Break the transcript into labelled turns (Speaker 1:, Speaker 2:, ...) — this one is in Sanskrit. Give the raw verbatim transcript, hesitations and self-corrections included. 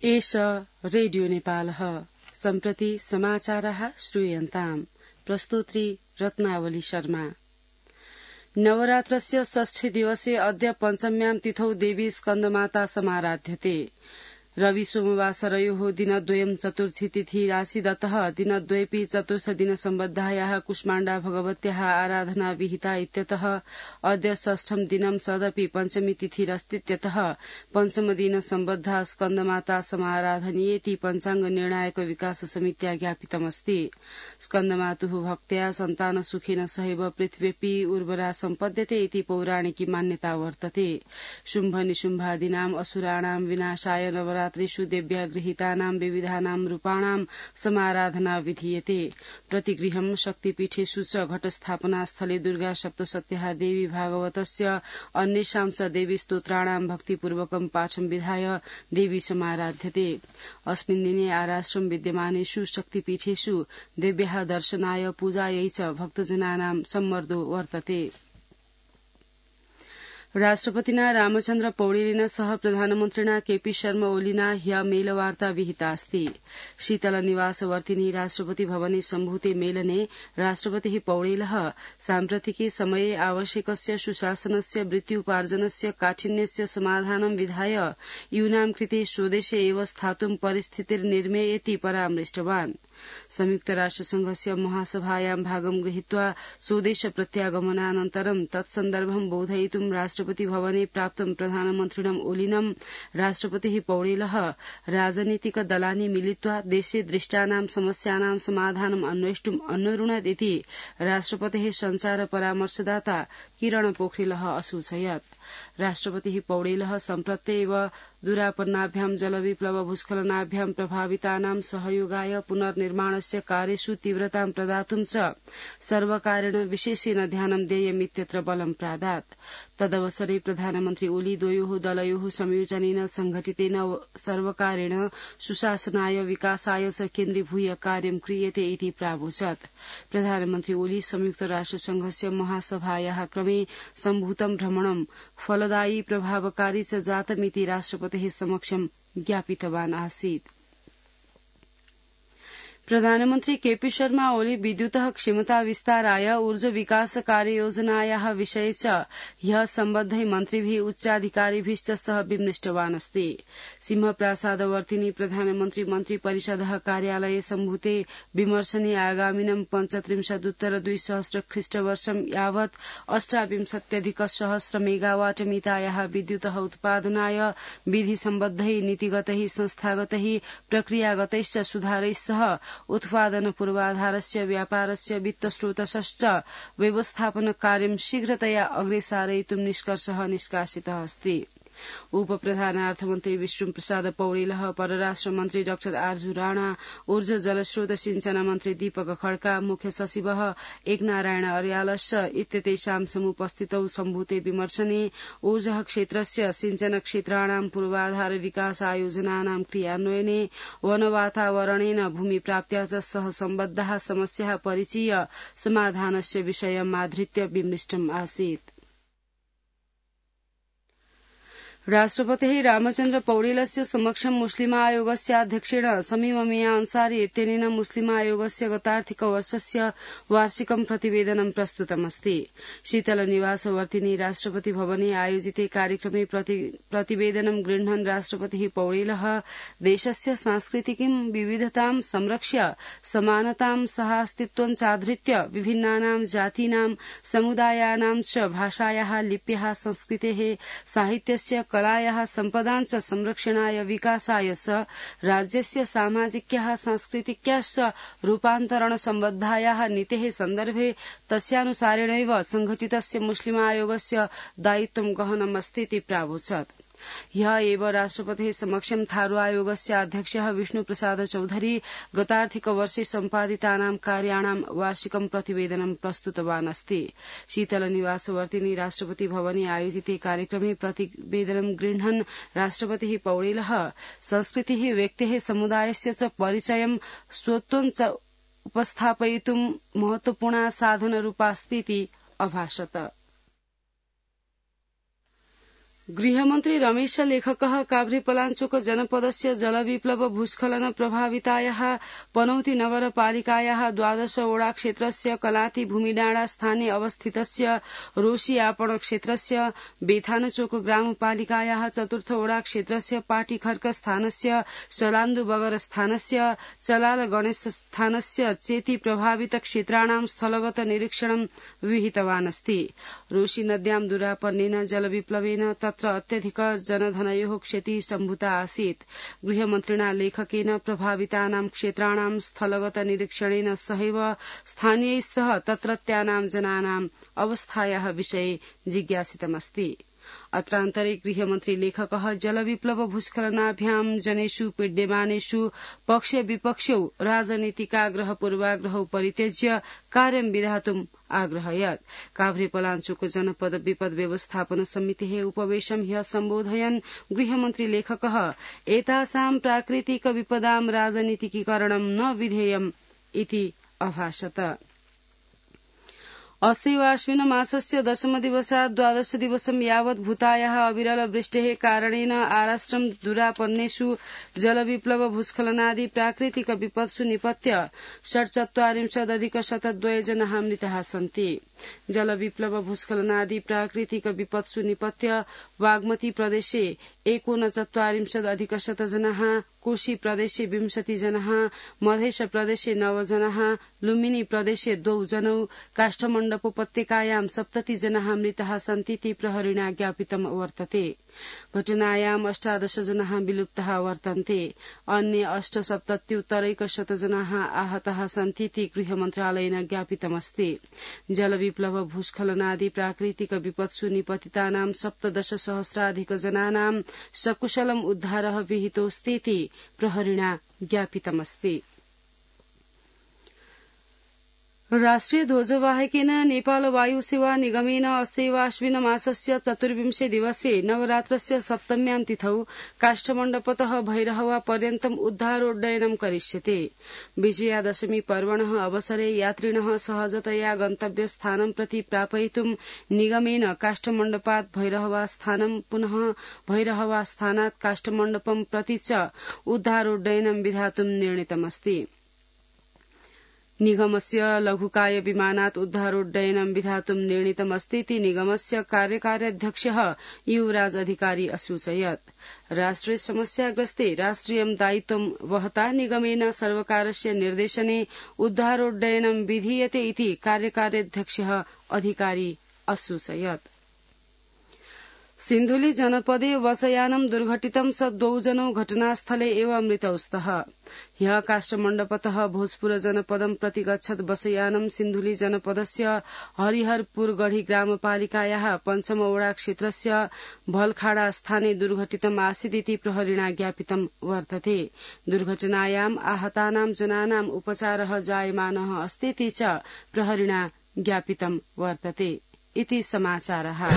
Speaker 1: एष रेडियो नेपालः सम्प्रति समाचारः श्रूयन्ताम् प्रस्तोत्री रत्नावली शर्मा। नवरात्रस्य षष्ठी दिवसे अद्य पञ्चम्यां तिथौ देवी स्कन्दमाता समाराध्यते। रवि सोमवासरयोः दिनद्वयं चतुर्थी तिथि राशिदतः दिनद्वयेऽपि चतुर्थ दिन सम्बद्धायाः कुष्माण्डा भगवत्याः आराधना विहिता इत्यतः अद्य षष्ठं दिनं सदपि पञ्चमी तिथिरस्तीत्यतः पञ्चम दिन सम्बद्धा स्कन्दमाता समाराधनीयेति पञ्चाङ्ग निर्णायक विकास समित्या ज्ञापितमस्ति। स्कन्दमातुः भक्त्या सन्तान सुखेन सहैव पृथिव्यपि उर्वरा सम्पद्यते इति पौराणिकी मान्यता वर्तते। शुम्भ निशुम्भादीनाम् असुराणां विनाशाय नवरा त्रिषु देव्या गृहीतानां विविधानां रूपाणां समाराधना विधीयते। प्रतिगृहं शक्तिपीठेषु च घटस्थापना स्थले दुर्गा सप्तशत्याः देवी भागवतस्य अन्येषां च देवी स्तोत्राणां भक्तिपूर्वकं पाठं विधाय देवी समाराध्यते। अस्मिन् दिने आराश्रम विद्यमानेषु शक्तिपीठेषु देव्याः दर्शनाय पूजायै च भक्तजनानां सम्मर्दो वर्तते। राष्ट्रपतिना रामचन्द्र पौडेलेन सह प्रधानमन्त्रिणा केपी शर्मा ओलीना ह्य मेलवार्ता विहिता अस्ति। शीतल निवासवर्तिनी राष्ट्रपति भवने सम्भूते मेलने राष्ट्रपतिः पौडेलः साम्प्रतिके समये आवश्यकस्य सुशासनस्य वृत्त्युपार्जनस्य काठिन्यस्य समाधानं विधाय यूनां कृते स्वदेशे एव स्थातुं परिस्थितिर्निर्मेयेति परामृष्टवान्। संयुक्त राष्ट्रसंघस्य महासभायां भागं गृहीत्वा स्वदेश प्रत्यागमनानन्तरं तत्सन्दर्भं बोधयितुं राष्ट्रपति भवने प्राप्तं प्रधानमन्त्रिणम् ओलीनं राष्ट्रपतिः पौडेलः राजनीतिक दलानि मिलित्वा देशे दृष्टानां समस्यानां समाधानम् अन्वेष्टुम् अन्वरुणत् इति राष्ट्रपतेः सञ्चार परामर्शदाता किरण पोखरेलः असूचयत्। राष्ट्रपतिः पौडेलः सम्प्रत्येव दुरापन्नाभ्यां जलविप्लव भूस्खलनाभ्यां प्रभावितानां सहयोगाय पुनर्निर्माणस्य कार्येषु तीव्रतां प्रदातुं च सर्वकारेण विशेषेण ध्यानं देयमित्यत्र बलं प्रादात्। तदवसरे प्रधानमन्त्री ओली द्वयोः दलयोः संयोजनेन संघटितेन सर्वकारेण सुशासनाय विकासाय च केन्द्रीभूय कार्यं क्रियते इति प्रावोचत्। प्रधानमन्त्री ओली संयुक्त राष्ट्रसंघस्य महासभायाः क्रमे सम्भूतं भ्रमणं फलदायी प्रभावकारी च जातमिति राष्ट्रपतेः समक्षं ज्ञापितवान् आसीत्। प्रधानमन्त्री केपी शर्मा ओली विद्युतः क्षमता विस्ताराय ऊर्जा विकास कार्ययोजनायाः विषये च ह्यः सम्बद्धै मन्त्रिभिः उच्चाधिकारिभिश्च सह विमृष्टवान् अस्ति। सिंहप्रासादवर्तिनी प्रधानमन्त्री मन्त्रिपरिषदः कार्यालये सम्भूते विमर्शने आगामिनं पञ्चत्रिंशदुत्तर द्विसहस्र ख्रीष्टवर्षं यावत् अष्टाविंशत्यधिक सहस्र मेगावाट मितायाः विद्युतः उत्पादनाय विधिसम्बद्धै नीतिगतैः संस्थागतैः प्रक्रियागतैश्च सुधारैः सह उत्पादन पूर्वाधारस्य व्यापारस्य वित्तस्रोतश्च व्यवस्थापन कार्यं शीघ्रतया अग्रे सारयितुं निष्कर्षः निष्कासितः अस्ति। उपप्रधानार्थमन्त्री विष्णु प्रसाद पौडेलः, परराष्ट्र मन्त्री डाक्टर आर्जु राणा, ऊर्जा जलस्रोत सिंचन मन्त्री दीपक खड्का, मुख्य सचिवः एकनारायण अर्यालश्च इत्यतेषां समुपस्थितौ सम्भूते विमर्शने ऊर्जा क्षेत्रस्य सिंचन क्षेत्राणां पूर्वाधार विकास आयोजनानां क्रियान्वयने वनवातावरणेन भूमिप्राप्त्या च सह सम्बद्धाः समस्याः परिचीय समाधानस्य विषयमाधृत्य विमृष्टम् आसीत्। राष्ट्रपतिः रामचन्द्र पौडेलस्य समक्षं मुस्लिमायोगस्य अध्यक्षेण शमीम मिया अंसारी इत्यनेन मुस्लिमायोगस्य गतार्थिकवर्षस्य वार्षिकं प्रतिवेदनं प्रस्तुतमस्ति। शीतल निवासवर्तिनी राष्ट्रपति भवने आयोजिते कार्यक्रमे प्रतिवेदनं गृह्णन् राष्ट्रपतिः पौडेलः देशस्य सांस्कृतिकीं विविधतां संरक्ष्य समानतां सहास्तित्वं चाधृत्य विभिन्नानां जातीनां समुदायानां च भाषायाः लिप्याः संस्कृतेः साहित्यस्य कलायाः सम्पदाञ्च संरक्षणाय विकासाय च राज्यस्य सामाजिक्याः सांस्कृतिक्याश्च रूपान्तरण सम्बद्धायाः नीतेः सन्दर्भे तस्यानुसारेणैव संघटितस्य मुस्लिमायोगस्य दायित्वं गहनमस्तीति प्रावोचत्। ह्यः एव राष्ट्रपतेः समक्षं थारू आयोगस्य अध्यक्षः विष्णु प्रसाद चौधरी गतार्थिकवर्षे सम्पादितानां कार्याणां वार्षिकं प्रतिवेदनं प्रस्तुतवान् अस्ति। शीतल निवासवर्तिनी राष्ट्रपति भवने आयोजिते कार्यक्रमे प्रतिवेदनं गृह्णन् राष्ट्रपतिः पौडेलः संस्कृतिः व्यक्तेः समुदायस्य च परिचयं स्वत्वं च उपस्थापयितुं महत्वपूर्णा साधनरूपास्तीति अभाषत। गृहमन्त्री रमेश लेखकः काभ्रेपलाञ्चोक जनपदस्य जलविप्लव भूस्खलन प्रभावितायाः पनौती नगरपालिकायाः द्वादश वडा क्षेत्रस्य कलाती भूमिडाँडा स्थाने अवस्थितस्य रोशी आपण क्षेत्रस्य बेथानचोक ग्रामपालिकायाः चतुर्थ वडा क्षेत्रस्य पाटीखर्क स्थानस्य सलान्दु बगर स्थानस्य चलाल गणेश स्थानस्य चेति प्रभावित क्षेत्राणां स्थलगत निरीक्षणं विहितवान् अस्ति। रोशी नद्यां दुरापन्नेन जलविप्लवेन तत्र अत्यधिक जनधनयोः क्षतिः सम्भूता आसीत्। गृहमन्त्रिणा लेखकेन प्रभावितानां क्षेत्राणां स्थलगत निरीक्षणेन सहैव स्थानीयैः सह तत्रत्यानां जनानाम् अवस्थायाः विषये जिज्ञासितमस्ति। अत्रान्तरे गृहमन्त्री लेखकः जलविप्लव भूस्खलनाभ्यां जनेषु पीड्यमानेषु पक्ष विपक्षौ राजनीतिकाग्रह पूर्वाग्रहौ परित्यज्य कार्यं विधातुम् आग्रहयत्। काभ्रेपलाञ्चोक जनपद विपद व्यवस्थापन समितेः उपवेशं ह्यः सम्बोधयन् गृहमन्त्री लेखकः एतासां प्राकृतिक विपदां राजनीतिकीकरणं न विधेयम् इति अभाषत। अस्यैवाश्विन मासस्य दशमदिवसात् द्वादश दिवसं यावत् भूतायाः अविरल वृष्टेः कारणेन आराष्ट्रं दुरापन्नेषु जलविप्लव भूस्खलनादि प्राकृतिक विपत्सु निपत्य षट्चत्वारिंशदधिक शतद्वय जनाः मृताः सन्ति। जलविप्लव भूस्खलनादि प्राकृतिक विपत्सु निपत्य बागमती प्रदेशे एकोनचत्वारिंशदधिक शत जनाः, कोशी प्रदेशे विंशति जनाः, मध्य प्रदेशे नव जनाः, लुम्बिनी प्रदेशे द्वौ जनौ, काष्ठमण्डपोपत्यकायां सप्तति जनाः मृताः सन्तीति प्रहरिणा ज्ञापितं वर्तते। घटनायाम् अष्टादश जनाः विलुप्ताः वर्तन्ते। अन्ये अष्टसप्तत्युत्तरैकशत जनाः आहताः सन्तीति गृहमन्त्रालयेन ज्ञापितमस्ति। जलविप्लव भूस्खलनादि प्राकृतिक विपत्सु निपतितानां सप्तदश सहस्राधिक जनानां सकुशलम् उद्धारः विहितोऽस्तीति प्रहरिणा ज्ञापितमस्ति। राष्ट्रिय ध्वजवाहकेन नेपाल वायुसेवा निगमेन अस्यैवाश्विन मासस्य चतुर्विंशे दिवसे नवरात्रस्य सप्तम्यां तिथौ काष्ठमण्डपतः भैरहवा पर्यन्तम् उद्धारोड्डयनं करिष्यते। विजयादशमी पर्वणः अवसरे यात्रिणः सहजतया गन्तव्यस्थानं प्रति प्रापयितुं निगमेन काष्ठमण्डपात् भैरहवा स्थानं पुनः भैरहवा स्थानात् काष्ठमण्डपं प्रति च उद्धारोड्डयनं विधातुं निर्णीतमस्ति। निगमस्य लघुकाय विमानात् उद्धारोड्डयनं विधातुं निर्णीतमस्तीति निगमस्य कार्यकार्याध्यक्षः युवराज अधिकारी असूचयत्। राष्ट्रे समस्याग्रस्ते राष्ट्रियं दायित्वं वहता निगमेन सर्वकारस्य निर्देशने उद्धारोड्डयनं विधीयते इति कार्यकार्याध्यक्षः अधिकारी असूचयत्। सिन्धुली जनपदे बसयानं दुर्घटितं स द्वौ जनौ घटनास्थले एव मृतौ स्तः। ह्यः काष्ठमण्डपतः भोजपुर जनपदं प्रति गच्छत् बसयानं सिन्धुली जनपदस्य हरिहरपुरगढी ग्रामपालिकायाः पञ्चमवडा क्षेत्रस्य भलखाडा स्थाने दुर्घटितम् आसीदिति प्रहरिणा ज्ञापितं वर्तते। दुर्घटनायाम् आहतानां जनानाम् उपचारः जायमानः अस्तीति च प्रहरिणा ज्ञापितं वर्तते। इति समाचारः।